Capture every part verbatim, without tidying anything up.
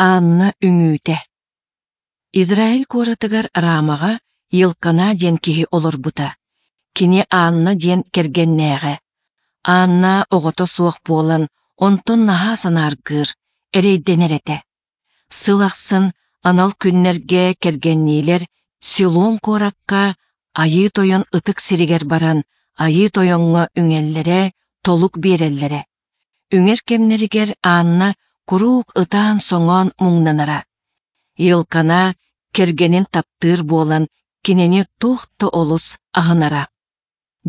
Анна үҥүүтэ. Израиль куоратыгар Рамаҕа Елкана диэн киһи олорбута. Кини Анна диэн кэргэннээҕэ. Анна оҕото суох буолан, онтон наһаа санааргыыр, эрэйдэнэр этэ. Сыл ахсын анал күннэргэ кэргэнниилэр Силом куоракка Айыы Тойон ытык сиригэр баран Айыы Тойоҥҥо үҥэллэрэ, толук биэрэллэрэ. Үҥэр кэмнэригэр Анна куруук ытаан-соҥоон муҥнанара. Елкана кэргэнин таптыыр буолан кинини туох да олус аһынара.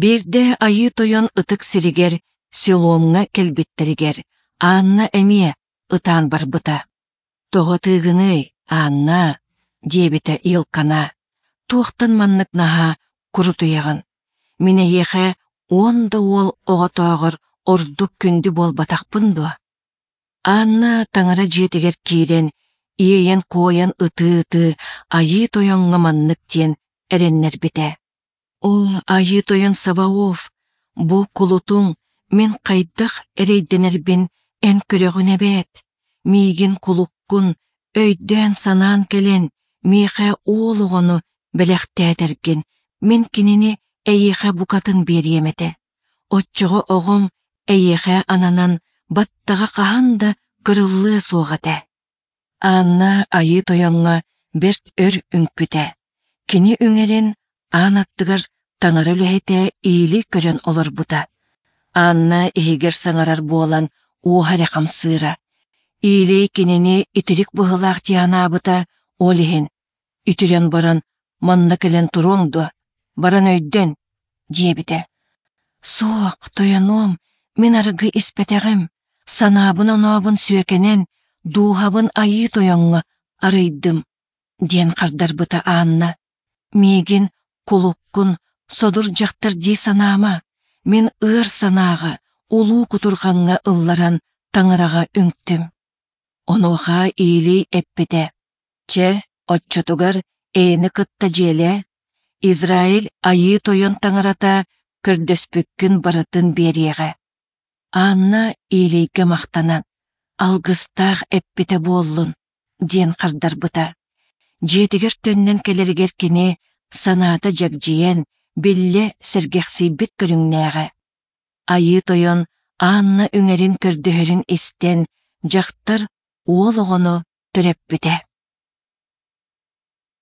Биирдэ Айыы Тойон ытык сиригэр Силомҥа кэлбиттэригэр Анна эмиэ ытаан барбыта. «Тоҕо тыыгыный, Анна?» диэбитэ Елкана. «Туохтан маннык наһаа курутуйаҕын? Мин эйиэхэ уон да уол оҕотооҕор ордук күндү буолбатахпын дуо?» Анна таҥара дьиэтигэр киирэн, иэйэн-куойан ытыы-ытыы Айыы Тойоҥҥо маннык диэн эрэннэрбитэ: «О, Айыы Тойон Саваоф, бу кулутуҥ мин хайдах эрэйдэнэрбин эн көрөҕүн эбээт! Миигин кулуккун өйдөөн-санаан кэлэн, миэхэ уол оҕону бэлэхтээтэргин, мин кинини эйиэхэ букатын биэриэм этэ. Оччоҕо оҕом эйиэхэ ананан баттаҕа хаһан да кырыллыа суох этэ». Анна Айыы Тойоҥҥо бэрт өр үҥпүтэ. Кини үҥэрин аан аттыгар таҥара үлэһитэ иили көрөн олорбута. Анна иһигэр саҥарар буолан уоһа эрэ хамсыыра. Иили кинини итирик быһыылаах дии санаабыта, ол иһин «Итирэн баран манна кэлэн туруоҥ дуо? Баран өйдөн» диэбитэ. «Суох, тойонуом, мин арыгы испэтэҕим, санаабын-онообун сүөкэнэн, дууһабын Айыы Тойоҥҥо арыйдым», диэн хардарбыта Анна. «Миигин кулуккун содур дьахтар дии санаама, мин ыар санааҕа, улуу кутурҕаҥҥа ылларан таҥараҕа үҥтүм». Онуоха Илий эппитэ: «Чэ, оччотугар эйэни кытта дьиэлээ, Израиль Айыы Тойон таҥарата көрдөспүккүн барытын биэриэҕэ». Анна Илийгэ махтанан, «Алгыстаах эппитэ буоллун» диэн хардарбыта. Дьиэтигэр төннөн кэлэригэр кини санаата дьэгдьийэн, биллэ сэргэхсийбит көрүҥнээҕэ. Айыы Тойон Анна үҥэрин көрдөһөрүн истэн, дьахтар уол оҕону төрөппүтэ.